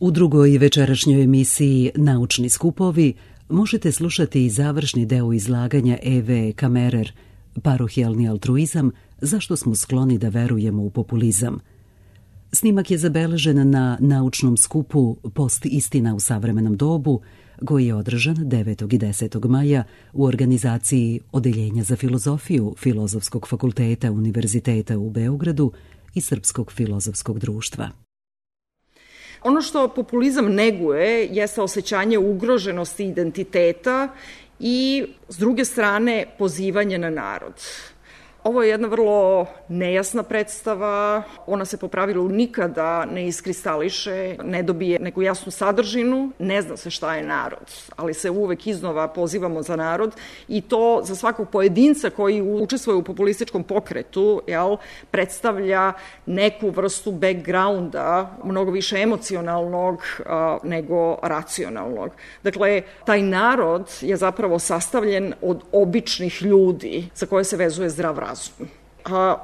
U drugoj večerašnjoj emisiji Naučni skupovi možete slušati i završni deo izlaganja Eve Kamerer, Parohijalni altruizam, zašto smo skloni da verujemo u populizam. Snimak je zabeležen na naučnom skupu Post istina u savremenom dobu, koji je održan 9. i 10. maja u organizaciji Odeljenja za filozofiju Filozofskog fakulteta Univerziteta u Beogradu i Srpskog filozofskog društva. Ono što populizam neguje jeste osjećanje ugroženosti identiteta i, s druge strane, pozivanje na narod. Ovo je jedna vrlo nejasna predstava, ona se po pravilu nikada ne iskristališe, ne dobije neku jasnu sadržinu, ne zna se šta je narod, ali se uvek iznova pozivamo za narod i to za svakog pojedinca koji učestvuje u populističkom pokretu, predstavlja neku vrstu backgrounda, mnogo više emocionalnog nego racionalnog. Dakle, taj narod je zapravo sastavljen od običnih ljudi za koje se vezuje zdrav razum.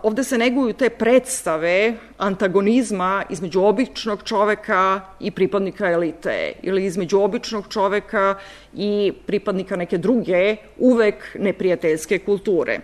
Ovde se neguju te predstave antagonizma između običnog čoveka i pripadnika elite ili između običnog čoveka i pripadnika neke druge, uvek neprijateljske kulture.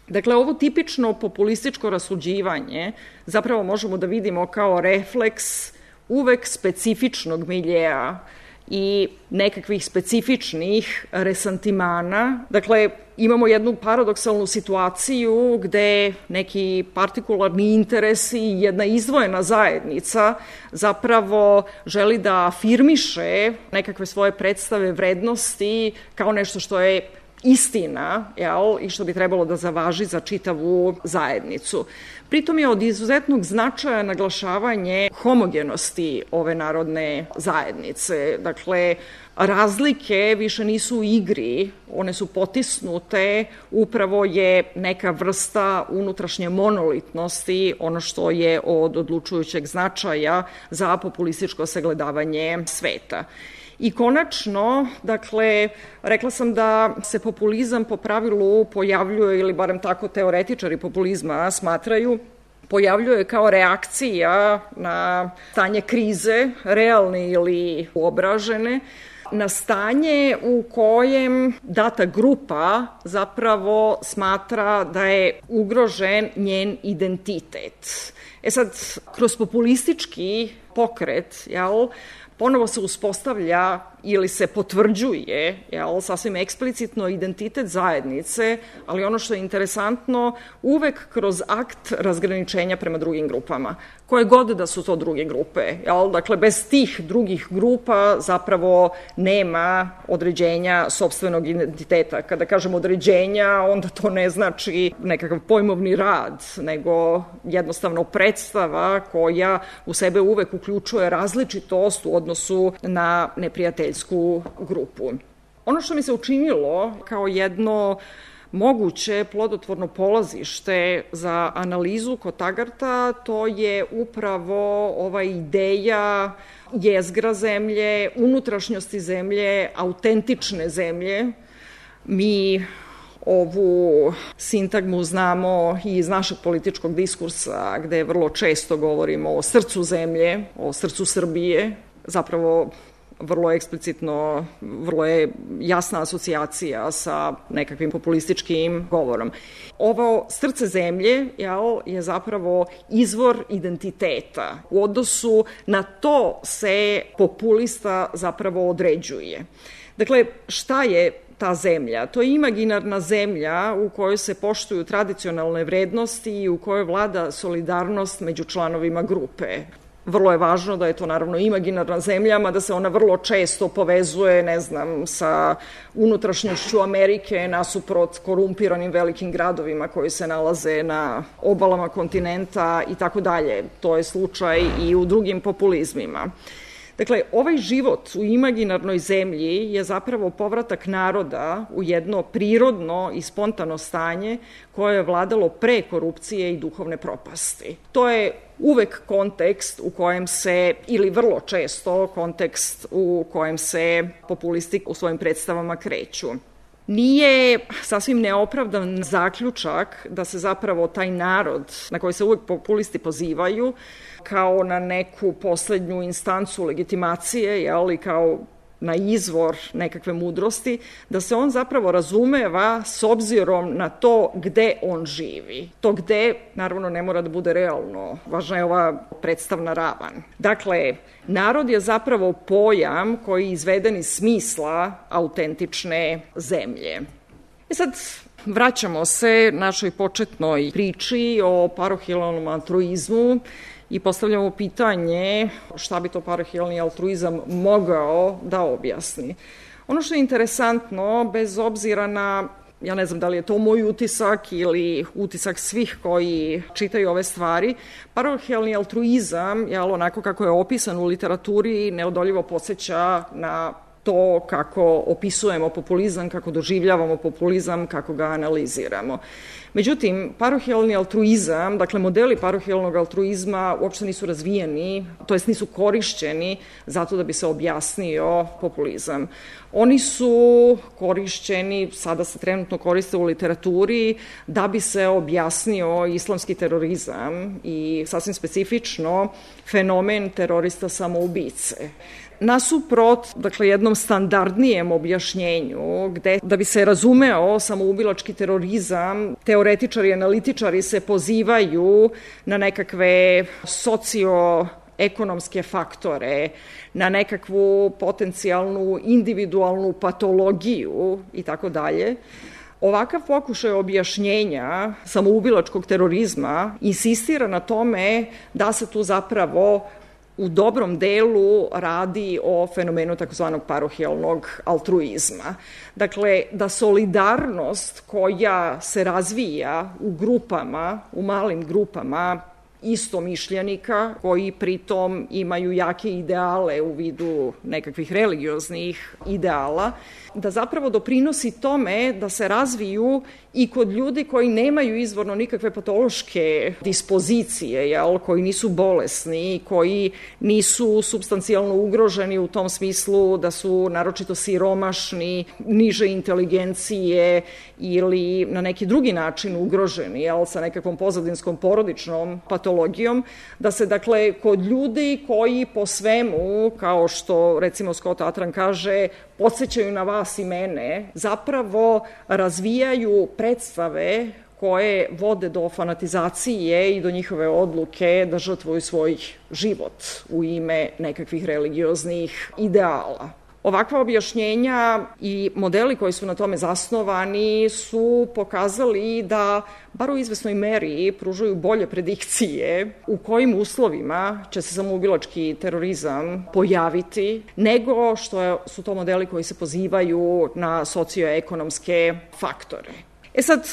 Dakle, ovo tipično populističko rasuđivanje zapravo možemo da vidimo kao refleks uvek specifičnog miljeja i nekakvih specifičnih resantimana. Dakle, imamo jednu paradoksalnu situaciju gde neki partikularni interesi i jedna izdvojena zajednica zapravo želi da afirmiše nekakve svoje predstave vrednosti kao nešto što je istina, i što bi trebalo da zavaži za čitavu zajednicu. Pritom je od izuzetnog značaja naglašavanje homogenosti ove narodne zajednice. Dakle, razlike više nisu u igri, one su potisnute, upravo je neka vrsta unutrašnje monolitnosti, ono što je od odlučujućeg značaja za populističko sagledavanje sveta. I konačno, dakle, rekla sam da se populizam po pravilu pojavljuje, ili barem tako teoretičari populizma smatraju, pojavljuje kao reakcija na stanje krize, realne ili uobražene, na stanje u kojem data grupa zapravo smatra da je ugrožen njen identitet. Sad, kroz populistički pokret, ponovo se uspostavlja ili se potvrđuje sasvim eksplicitno identitet zajednice, ali ono što je interesantno, uvek kroz akt razgraničenja prema drugim grupama. Koje god da su to druge grupe. Dakle, bez tih drugih grupa zapravo nema određenja sopstvenog identiteta. Kada kažem određenja, onda to ne znači nekakav pojmovni rad, nego jednostavno predstava koja u sebe uvek uključuje različitost u odnosu na neprijateljsku grupu. Ono što mi se učinilo kao jedno moguće plodotvorno polazište za analizu kod Tagarta, to je upravo ova ideja jezgra zemlje, unutrašnjosti zemlje, autentične zemlje. Mi ovu sintagmu znamo i iz našeg političkog diskursa, gde vrlo često govorimo o srcu zemlje, o srcu Srbije, zapravo vrlo eksplicitno, vrlo je jasna asocijacija sa nekakvim populističkim govorom. Ovo srce zemlje je zapravo izvor identiteta. U odnosu na to se populista zapravo određuje. Dakle, šta je ta zemlja? To je imaginarna zemlja u kojoj se poštuju tradicionalne vrednosti i u kojoj vlada solidarnost među članovima grupe. Vrlo je važno da je to naravno imaginarna zemlja, mada se ona vrlo često povezuje, sa unutrašnjošću Amerike nasuprot korumpiranim velikim gradovima koji se nalaze na obalama kontinenta i tako dalje. To je slučaj i u drugim populizmima. Dakle, ovaj život u imaginarnoj zemlji je zapravo povratak naroda u jedno prirodno i spontano stanje koje je vladalo pre korupcije i duhovne propasti. To je uvek kontekst u kojem se, ili vrlo često kontekst u kojem se populisti u svojim predstavama kreću. Nije sasvim neopravdan zaključak da se zapravo taj narod na koji se uvek populisti pozivaju kao na neku poslednju instancu legitimacije, i kao na izvor nekakve mudrosti, da se on zapravo razumeva s obzirom na to gde on živi. To gde, naravno, ne mora da bude realno. Važna je ova predstavna ravan. Dakle, narod je zapravo pojam koji je izveden iz smisla autentične zemlje. Sad, vraćamo se našoj početnoj priči o parohijalnom altruizmu i postavljamo pitanje šta bi to parohijalni altruizam mogao da objasni. Ono što je interesantno, bez obzira na, ja ne znam da li je to moj utisak ili utisak svih koji čitaju ove stvari, parohijalni altruizam, onako kako je opisan u literaturi, neodoljivo podseća na to kako opisujemo populizam, kako doživljavamo populizam, kako ga analiziramo. Međutim, parohijalni altruizam, dakle modeli parohijalnog altruizma uopšte nisu razvijeni, to jest nisu korišćeni zato da bi se objasnio populizam. Oni su korišćeni, sada se trenutno koriste u literaturi, da bi se objasnio islamski terorizam i sasvim specifično fenomen terorista samoubice. Nasuprot, dakle, jednom standardnijem objašnjenju, gde da bi se razumeo samoubilački terorizam, teoretičari i analitičari se pozivaju na nekakve socioekonomske faktore, na nekakvu potencijalnu individualnu patologiju i tako dalje. Ovakav pokušaj objašnjenja samoubilačkog terorizma insistira na tome da se tu zapravo u dobrom delu radi o fenomenu takozvanog parohijalnog altruizma. Dakle, da solidarnost koja se razvija u grupama, u malim grupama istomišljenika, koji pritom imaju jake ideale u vidu nekakvih religioznih ideala, da zapravo doprinosi tome da se razviju i kod ljudi koji nemaju izvorno nikakve patološke dispozicije, koji nisu bolesni, koji nisu supstancijalno ugroženi u tom smislu da su naročito siromašni, niže inteligencije ili na neki drugi način ugroženi, sa nekakvom pozadinskom porodičnom patologijom, da se, dakle, kod ljudi koji po svemu, kao što recimo Scott Atran kaže, podsećaju na vas i mene, zapravo razvijaju predstave koje vode do fanatizacije i do njihove odluke da žrtvuju svoj život u ime nekakvih religioznih ideala. Ovakva objašnjenja i modeli koji su na tome zasnovani su pokazali da, bar u izvesnoj meri, pružaju bolje predikcije u kojim uslovima će se samoubilački terorizam pojaviti, nego što su to modeli koji se pozivaju na socioekonomske faktore. Sad,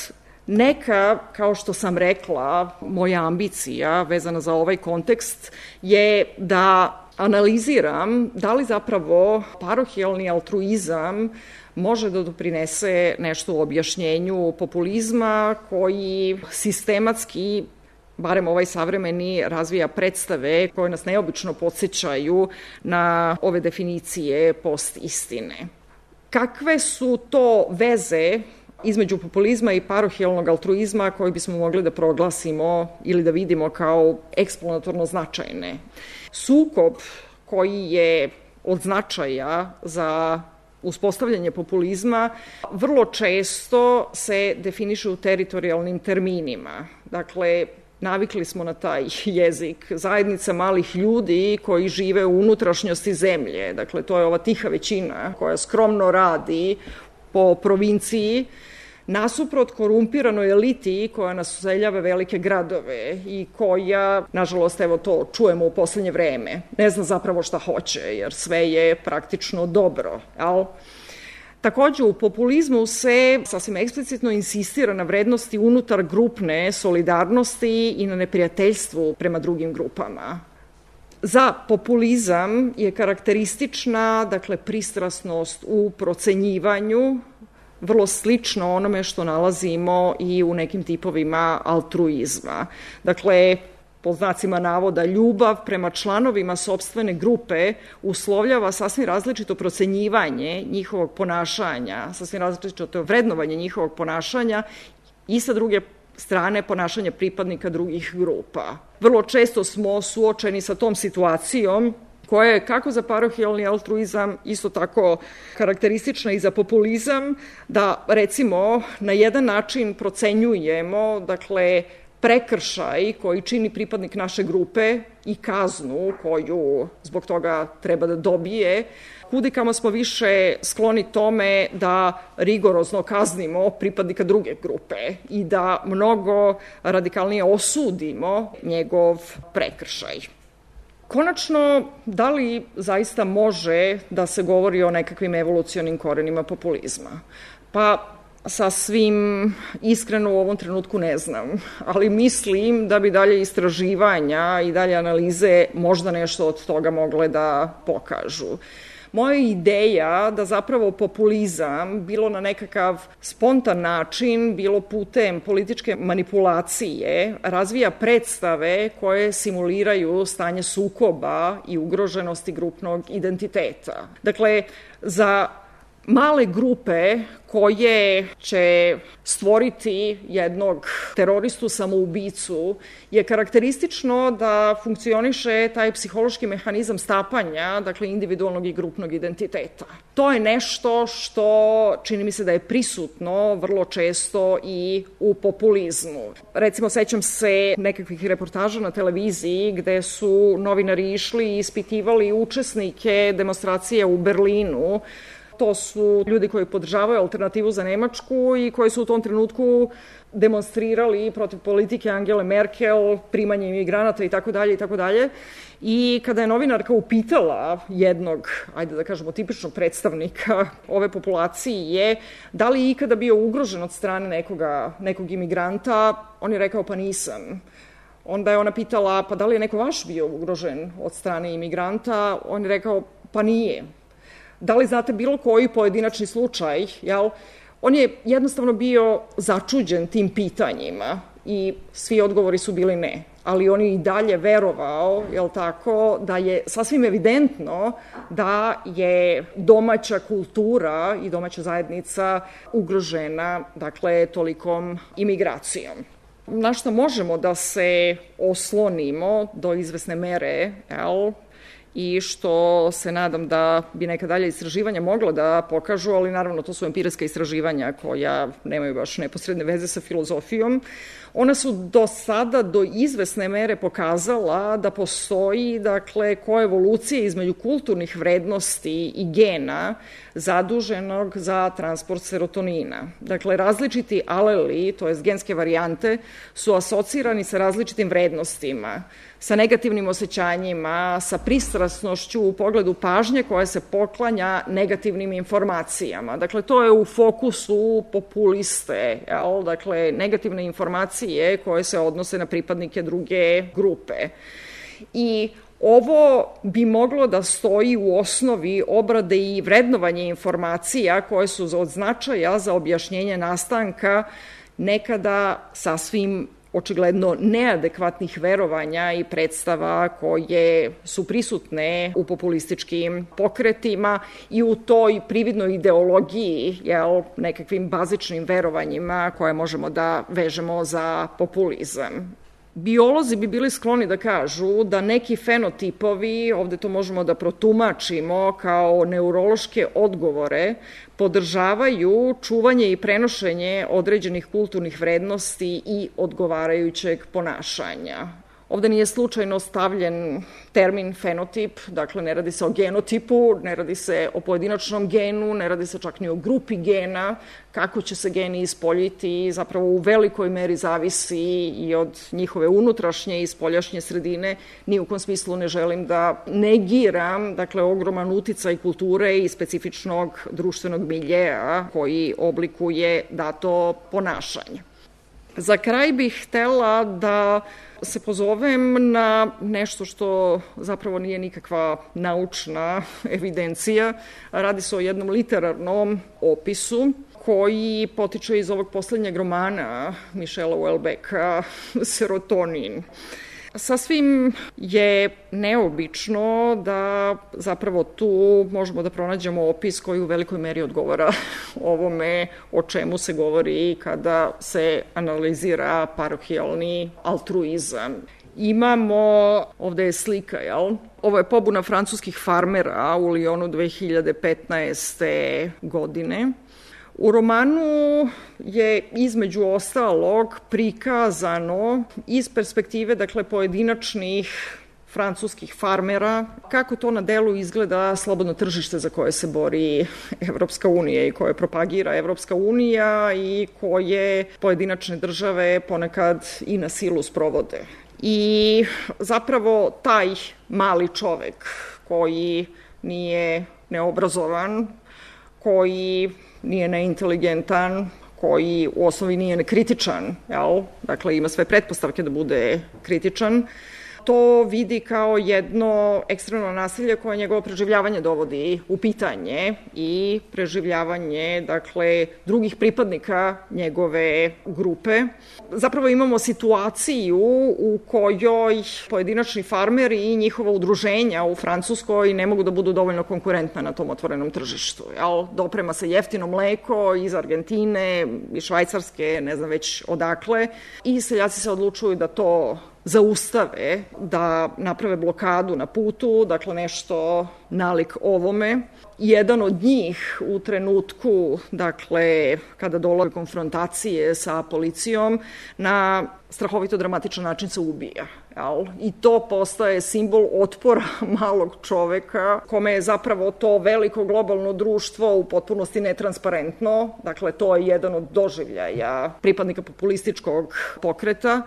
neka, kao što sam rekla, moja ambicija vezana za ovaj kontekst je da analiziram da li zapravo parohijalni altruizam može da doprinese nešto u objašnjenju populizma koji sistematski, barem ovaj savremeni, razvija predstave koje nas neobično podsećaju na ove definicije post-istine. Kakve su to veze između populizma i parohijalnog altruizma koji bismo mogli da proglasimo ili da vidimo kao eksponatorno značajne? Sukob koji je od značaja za uspostavljanje populizma vrlo često se definiše u teritorijalnim terminima. Dakle, navikli smo na taj jezik, zajednica malih ljudi koji žive u unutrašnjosti zemlje. Dakle, to je ova tiha većina koja skromno radi po provinciji, nasuprot korumpiranoj eliti koja nas useljava velike gradove i koja, nažalost, evo to čujemo u poslednje vreme, ne zna zapravo šta hoće, jer sve je praktično dobro. Takođe, u populizmu se sasvim eksplicitno insistira na vrednosti unutar grupne solidarnosti i na neprijateljstvu prema drugim grupama. Za populizam je karakteristična, dakle, pristrasnost u procenjivanju, vrlo slično onome što nalazimo i u nekim tipovima altruizma. Dakle, po znacima navoda, ljubav prema članovima sopstvene grupe uslovljava sasvim različito procenjivanje njihovog ponašanja, sasvim različito vrednovanje njihovog ponašanja i sa druge strane ponašanja pripadnika drugih grupa. Vrlo često smo suočeni sa tom situacijom koja je kako za parohijalni altruizam isto tako karakteristična i za populizam, da recimo na jedan način procenjujemo, dakle, prekršaj koji čini pripadnik naše grupe i kaznu koju zbog toga treba da dobije, kudikamo smo više skloni tome da rigorozno kaznimo pripadnika druge grupe i da mnogo radikalnije osudimo njegov prekršaj. Konačno, da li zaista može da se govori o nekakvim evolucionim korenima populizma? Pa, sasvim iskreno u ovom trenutku ne znam, ali mislim da bi dalje istraživanja i dalje analize možda nešto od toga mogle da pokažu. Moja ideja da zapravo populizam, bilo na nekakav spontan način, bilo putem političke manipulacije, razvija predstave koje simuliraju stanje sukoba i ugroženosti grupnog identiteta. Dakle, za male grupe koje će stvoriti jednog teroristu samoubicu je karakteristično da funkcioniše taj psihološki mehanizam stapanja, dakle individualnog i grupnog identiteta. To je nešto što čini mi se da je prisutno vrlo često i u populizmu. Recimo, sećam se nekakvih reportaža na televiziji gde su novinari išli i ispitivali učesnike demonstracije u Berlinu. To su ljudi koji podržavaju alternativu za Nemačku i koji su u tom trenutku demonstrirali protiv politike Angele Merkel, primanje imigranata itd. I kada je novinarka upitala jednog, ajde da kažemo, tipičnog predstavnika ove populacije, da li je ikada bio ugrožen od strane nekog imigranta, on je rekao pa nisam. Onda je ona pitala pa da li je neko vaš bio ugrožen od strane imigranta, on je rekao pa nije. Da li znate bilo koji pojedinačni slučaj, jel? On je jednostavno bio začuđen tim pitanjima i svi odgovori su bili ne. Ali on je i dalje verovao, jel tako, da je sasvim evidentno da je domaća kultura i domaća zajednica ugrožena, dakle, tolikom imigracijom. Na što možemo da se oslonimo do izvesne mere, jel? I što se nadam da bi neka dalje istraživanja mogla da pokažu, ali naravno to su empirijska istraživanja koja nemaju baš neposredne veze sa filozofijom. Ona su do sada do izvesne mere pokazala da postoji, dakle, koevolucija između kulturnih vrednosti i gena zaduženog za transport serotonina. Dakle, različiti aleli, to jest genske varijante, su asocirani sa različitim vrednostima, sa negativnim osjećanjima, sa pristrasnošću u pogledu pažnje koja se poklanja negativnim informacijama. Dakle, to je u fokusu populiste, jel? Dakle, negativne informacije koje se odnose na pripadnike druge grupe. I ovo bi moglo da stoji u osnovi obrade i vrednovanje informacija koje su od značaja za objašnjenje nastanka nekada sasvim očigledno neadekvatnih verovanja i predstava koje su prisutne u populističkim pokretima i u toj prividnoj ideologiji, nekakvim bazičnim verovanjima koje možemo da vežemo za populizam. Biolozi bi bili skloni da kažu da neki fenotipovi, ovde to možemo da protumačimo kao neurološke odgovore, podržavaju čuvanje i prenošenje određenih kulturnih vrednosti i odgovarajućeg ponašanja. Ovde nije slučajno stavljen termin fenotip, dakle ne radi se o genotipu, ne radi se o pojedinačnom genu, ne radi se čak ni o grupi gena. Kako će se geni ispoljiti zapravo u velikoj meri zavisi i od njihove unutrašnje i spoljašnje sredine. Ni u kom smislu ne želim da negiram, dakle, ogroman uticaj kulture i specifičnog društvenog miljeja koji oblikuje dato ponašanje. Za kraj bih htela da se pozovem na nešto što zapravo nije nikakva naučna evidencija. Radi se o jednom literarnom opisu koji potiče iz ovog poslednjeg romana Michela Houellebecqa, Serotonin. Sasvim je neobično da zapravo tu možemo da pronađemo opis koji u velikoj meri odgovara ovome o čemu se govori kada se analizira parohijalni altruizam. Imamo, ovde je slika, jel? Ovo je pobuna francuskih farmera u Lyonu 2015. godine. U romanu je između ostalog prikazano iz perspektive, dakle, pojedinačnih francuskih farmera, kako to na delu izgleda slobodno tržište za koje se bori Evropska unija i koje propagira Evropska unija i koje pojedinačne države ponekad i na silu sprovode. I zapravo taj mali čovek koji nije neobrazovan, koji nije neinteligentan, koji u osnovi nije nekritičan, jel? Dakle, ima sve pretpostavke da bude kritičan, to vidi kao jedno ekstremno nasilje koje njegovo preživljavanje dovodi u pitanje i preživljavanje, dakle, drugih pripadnika njegove grupe. Zapravo imamo situaciju u kojoj pojedinačni farmeri i njihova udruženja u Francuskoj ne mogu da budu dovoljno konkurentna na tom otvorenom tržištu. Doprema se jeftino mleko iz Argentine, iz Švajcarske, ne znam već odakle, i seljaci se odlučuju da to zaustave, da naprave blokadu na putu, dakle nešto nalik ovome. Jedan od njih u trenutku, dakle, kada dolaze konfrontacije sa policijom, na strahovito dramatičan način se ubija. I to postaje simbol otpora malog čoveka, kome je zapravo to veliko globalno društvo u potpunosti netransparentno. Dakle, to je jedan od doživljaja pripadnika populističkog pokreta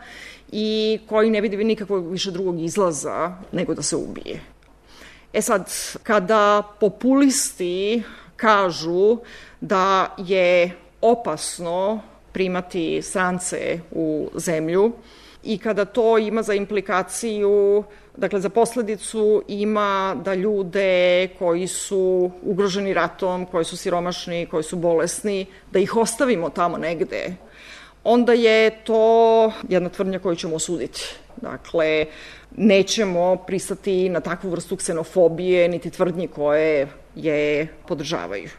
i koji ne vidi nikakvog više drugog izlaza nego da se ubije. Sad, kada populisti kažu da je opasno primati strance u zemlju i kada to ima za implikaciju, dakle za posledicu ima da ljude koji su ugroženi ratom, koji su siromašni, koji su bolesni, da ih ostavimo tamo negde, onda je to jedna tvrdnja koju ćemo osuditi. Dakle, nećemo pristati na takvu vrstu ksenofobije, niti tvrdnji koje je podržavaju.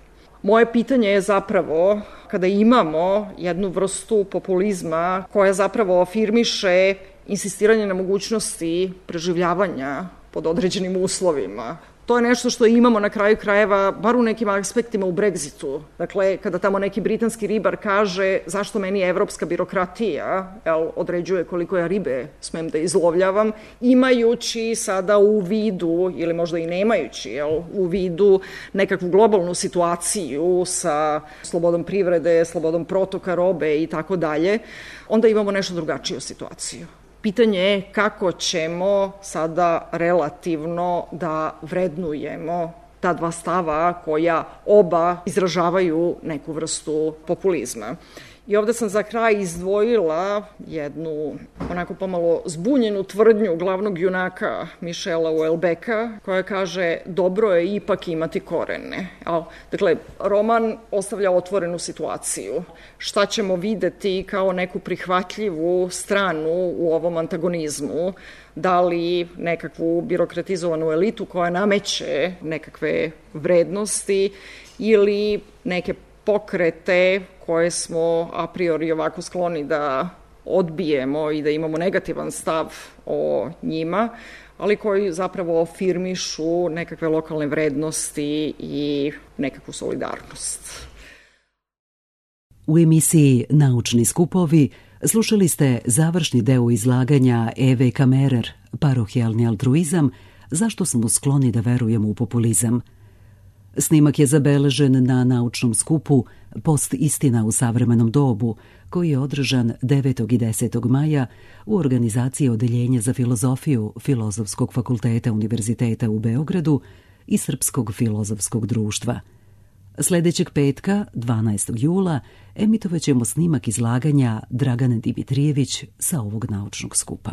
Moje pitanje je zapravo, kada imamo jednu vrstu populizma koja zapravo afirmiše insistiranje na mogućnosti preživljavanja pod određenim uslovima, to je nešto što imamo na kraju krajeva, bar u nekim aspektima u Brexitu. Dakle, kada tamo neki britanski ribar kaže zašto meni evropska birokratija određuje koliko ja ribe smem da izlovljavam, imajući sada u vidu, ili možda i nemajući u vidu nekakvu globalnu situaciju sa slobodom privrede, slobodom protoka robe i tako dalje, onda imamo nešto drugačiju situaciju. Pitanje je kako ćemo sada relativno da vrednujemo ta dva stava koja oba izražavaju neku vrstu populizma. I ovde sam za kraj izdvojila jednu onako pomalo zbunjenu tvrdnju glavnog junaka Michela Houellebecqa, koja kaže dobro je ipak imati korene. Dakle, roman ostavlja otvorenu situaciju. Šta ćemo videti kao neku prihvatljivu stranu u ovom antagonizmu? Da li nekakvu birokratizovanu elitu koja nameće nekakve vrednosti ili neke pokrete koje smo a priori ovako skloni da odbijemo i da imamo negativan stav o njima, ali koji zapravo afirmišu nekakve lokalne vrednosti i nekakvu solidarnost. U emisiji Naučni skupovi slušali ste završni deo izlaganja Eve Kammerer, parohijalni altruizam, zašto smo skloni da verujemo u populizam. Snimak je zabeležen na naučnom skupu Post istina u savremenom dobu, koji je održan 9. i 10. maja u organizaciji Odeljenja za filozofiju Filozofskog fakulteta Univerziteta u Beogradu i Srpskog filozofskog društva. Sledećeg petka, 12. jula, emitovaćemo snimak izlaganja Dragane Dimitrijević sa ovog naučnog skupa.